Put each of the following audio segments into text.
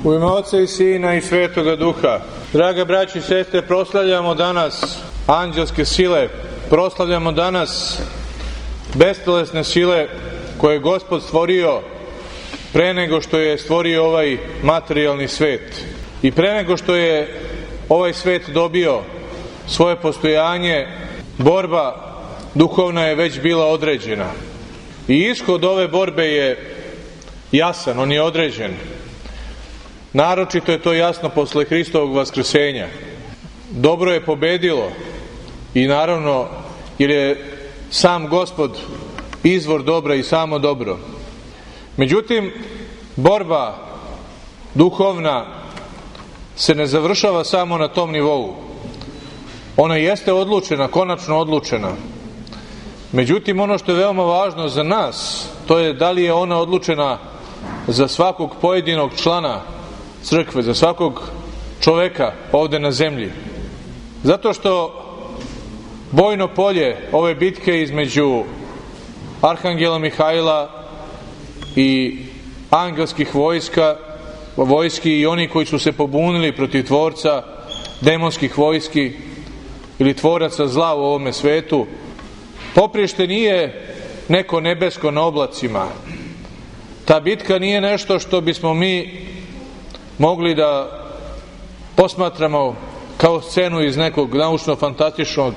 U ime Oca i Sina i Svetoga Duha. Draga braći i sestre, proslavljamo danas anđelske sile, proslavljamo danas bestelesne sile koje je Gospod stvorio pre nego što je stvorio ovaj materijalni svet. I pre nego što je ovaj svet dobio svoje postojanje, borba duhovna je već bila određena. I ishod ove borbe je jasan, on je određen. Naročito je to jasno posle Hristovog vaskrsenja. Dobro je pobedilo i naravno jer je sam Gospod izvor dobra i samo dobro. Međutim, borba duhovna se ne završava samo na tom nivou. Ona jeste odlučena, konačno odlučena. Međutim, ono što je veoma važno za nas, to je da li je ona odlučena za svakog pojedinog člana crkve, za svakog čoveka ovde na zemlji. Zato što bojno polje ove bitke između Arhangela Mihajla i angelskih vojski i oni koji su se pobunili protiv tvorca demonskih vojski ili tvoraca zla u ovome svetu, poprište nije neko nebesko na oblacima. Ta bitka nije nešto što bismo mi mogli da posmatramo kao scenu iz nekog naučno-fantastičnog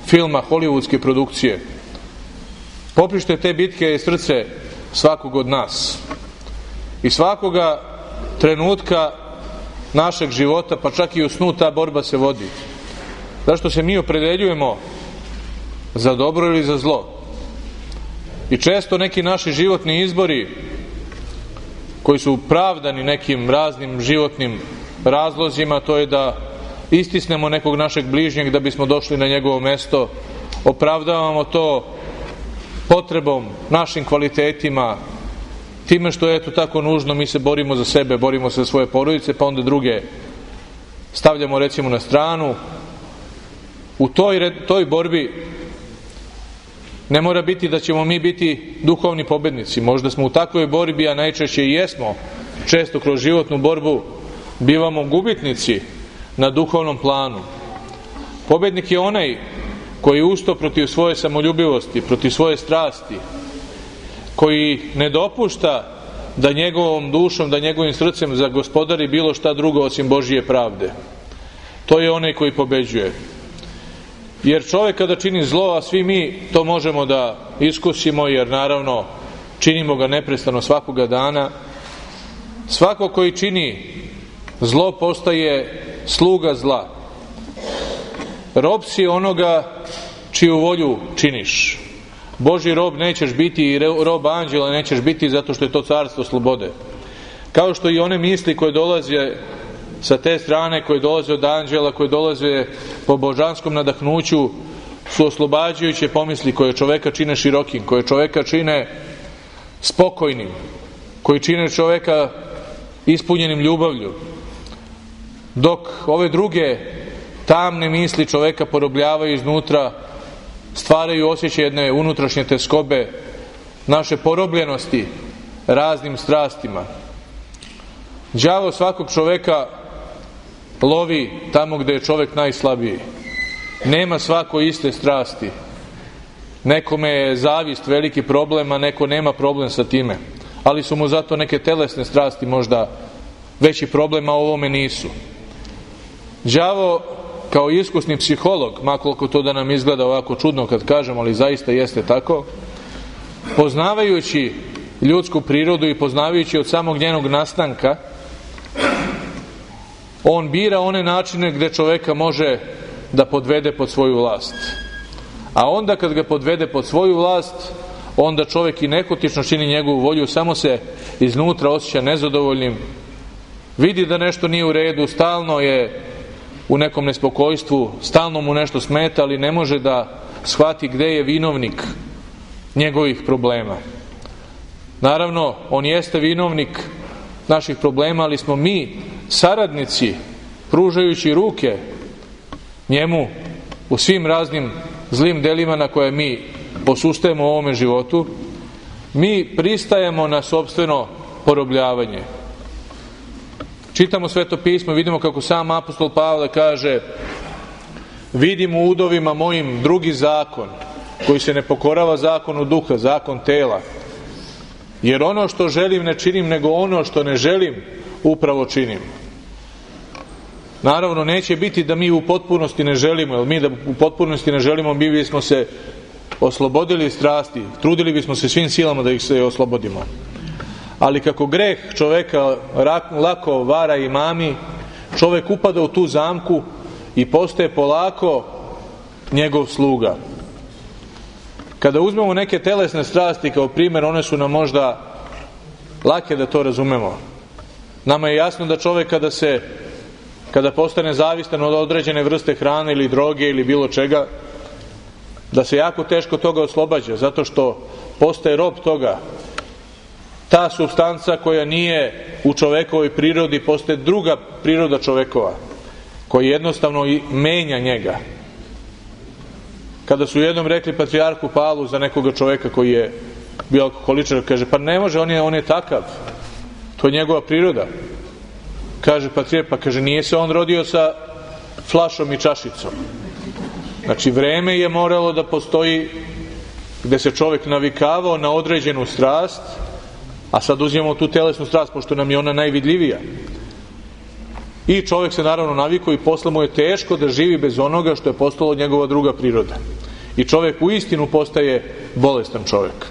filma hollywoodske produkcije. Poprište te bitke je srce svakog od nas. I svakoga trenutka našeg života, pa čak i u snu, ta borba se vodi. Zašto se mi opredeljujemo za dobro ili za zlo? I često neki naši životni izbori koji su pravdani nekim raznim životnim razlozima, to je da istisnemo nekog našeg bližnjeg da bismo došli na njegovo mesto, opravdavamo to potrebom, našim kvalitetima, time što je eto tako nužno, mi se borimo za sebe, borimo se za svoje porodice, pa onda druge stavljamo recimo na stranu. U toj borbi ne mora biti da ćemo mi biti duhovni pobednici. Možda smo u takvoj borbi, a najčešće i jesmo, često kroz životnu borbu bivamo gubitnici na duhovnom planu. Pobednik je onaj koji usto protiv svoje samoljubivosti, protiv svoje strasti, koji ne dopušta da njegovom dušom, da njegovim srcem zagospodari bilo šta drugo osim Božije pravde. To je onaj koji pobeđuje. Jer čovjek kada čini zlo, a svi mi to možemo da iskusimo, jer naravno činimo ga neprestano svakoga dana, svako koji čini zlo postaje sluga zla. Rob si onoga čiju volju činiš. Božji rob nećeš biti i rob anđela nećeš biti, zato što je to carstvo slobode. Kao što i one misli koje dolaze sa te strane, koje dolaze od anđela, koje dolaze po božanskom nadahnuću, su oslobađajuće pomisli koje čoveka čine širokim, koje čoveka čine spokojnim, koji čine čoveka ispunjenim ljubavlju. Dok ove druge tamne misli čoveka porobljavaju iznutra, stvaraju osjećaj jedne unutrašnje teskobe, naše porobljenosti raznim strastima. Đavo svakog čoveka lovi tamo gde je čovek najslabiji. Nema svako iste strasti. Nekome je zavist veliki problem, a neko nema problem sa time. Ali su mu zato neke telesne strasti možda veći problem, a ovome nisu. Đavo kao iskusni psiholog, makoliko to da nam izgleda ovako čudno kad kažem, ali zaista jeste tako, poznavajući ljudsku prirodu i poznavajući od samog njenog nastanka, on bira one načine gde čoveka može da podvede pod svoju vlast. A onda kad ga podvede pod svoju vlast, onda čovek i nehotično čini njegovu volju, samo se iznutra osjeća nezadovoljnim, vidi da nešto nije u redu, stalno je u nekom nespokojstvu, stalno mu nešto smeta, ali ne može da shvati gde je vinovnik njegovih problema. Naravno, on jeste vinovnik naših problema, ali smo mi saradnici, pružajući ruke njemu u svim raznim zlim delima na koje mi posustajemo u ovome životu. Mi pristajemo na sopstveno porobljavanje. Čitamo Sveto pismo, vidimo kako sam apostol Pavle kaže: vidim u udovima mojim drugi zakon, koji se ne pokorava zakonu duha, zakon tela. Jer ono što želim ne činim, nego ono što ne želim upravo činim. Naravno, neće biti da mi u potpunosti ne želimo, jer mi da u potpunosti ne želimo, mi bismo se oslobodili strasti, trudili bismo se svim silama da ih se oslobodimo. Ali kako greh čoveka lako vara i mami, čovek upada u tu zamku i postaje polako njegov sluga. Kada uzmemo neke telesne strasti kao primjer, one su nam možda lake da to razumemo. Nama je jasno da čovek kada postane zavistan od određene vrste hrane ili droge ili bilo čega, da se jako teško toga oslobađa, zato što postaje rob toga. Ta supstanca koja nije u čovekovoj prirodi postaje druga priroda čovekova, koja jednostavno menja njega. Kada su jednom rekli patrijarhu Pavlu za nekoga čoveka koji je bio alkoholičar, kaže: pa ne može, on je takav, to je njegova priroda. Kaže patrijarh: pa kaže, nije se on rodio sa flašom i čašicom. Znači, vreme je moralo da postoji gde se čovek navikavao na određenu strast, a sad uzimamo tu telesnu strast, pošto nam je ona najvidljivija. I čovek se naravno navikao i posle mu je teško da živi bez onoga što je postalo njegova druga priroda. I čovek u istinu postaje bolestan čovek.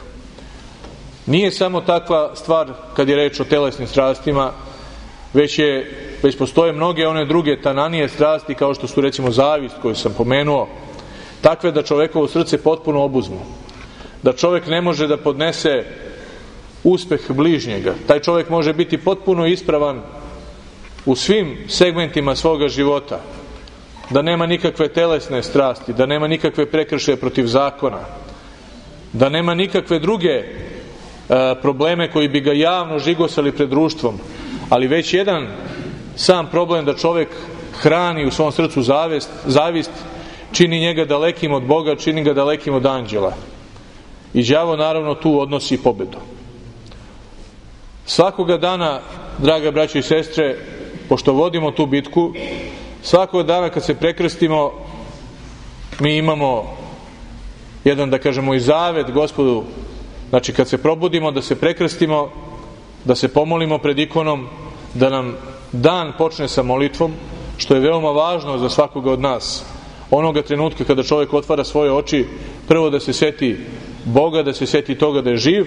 Nije samo takva stvar kad je reč o telesnim strastima, već postoje mnoge one druge tananije strasti, kao što su recimo zavist koju sam pomenuo, takve da čovekovo srce potpuno obuzmu. Da čovek ne može da podnese uspeh bližnjega. Taj čovek može biti potpuno ispravan u svim segmentima svoga života, da nema nikakve telesne strasti, da nema nikakve prekršaje protiv zakona, da nema nikakve druge probleme koji bi ga javno žigosali pred društvom, ali već jedan sam problem da čovek hrani u svom srcu zavist, čini njega dalekim od Boga, čini ga dalekim od anđela. I đavo naravno tu odnosi pobedu. Svakoga dana, draga braćo i sestre, pošto vodimo tu bitku, svakog dana kad se prekrstimo, mi imamo jedan, da kažemo, i zavet Gospodu. Znači, kad se probudimo, da se prekrstimo, da se pomolimo pred ikonom, da nam dan počne sa molitvom, što je veoma važno za svakoga od nas. Onoga trenutka kada čovjek otvara svoje oči, prvo da se seti Boga, da se seti toga da je živ,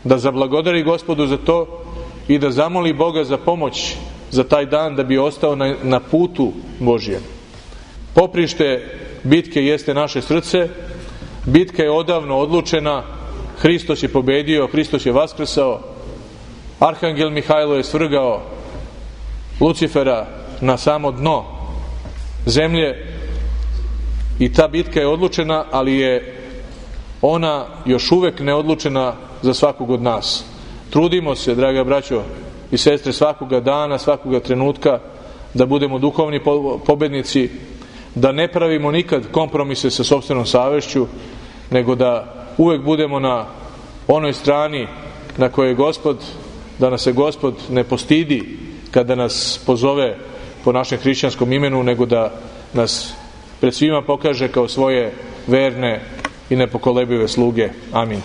da zablagodari Gospodu za to i da zamoli Boga za pomoć za taj dan, da bi ostao na putu Božjem. Poprište bitke jeste naše srce. Bitka je odavno odlučena. Hristos je pobedio, Hristos je vaskrsao. Arhangel Mihajlo je svrgao Lucifera na samo dno zemlje i ta bitka je odlučena, ali je ona još uvek neodlučena za svakog od nas. Trudimo se, draga braćo i sestre, svakoga dana, svakoga trenutka da budemo duhovni pobednici, da ne pravimo nikad kompromise sa sopstvenom savešću, nego da uvek budemo na onoj strani na kojoj je Gospod, da nas se Gospod ne postidi kada nas pozove po našem hrišćanskom imenu, nego da nas pred svima pokaže kao svoje verne i nepokolebive sluge. Amin.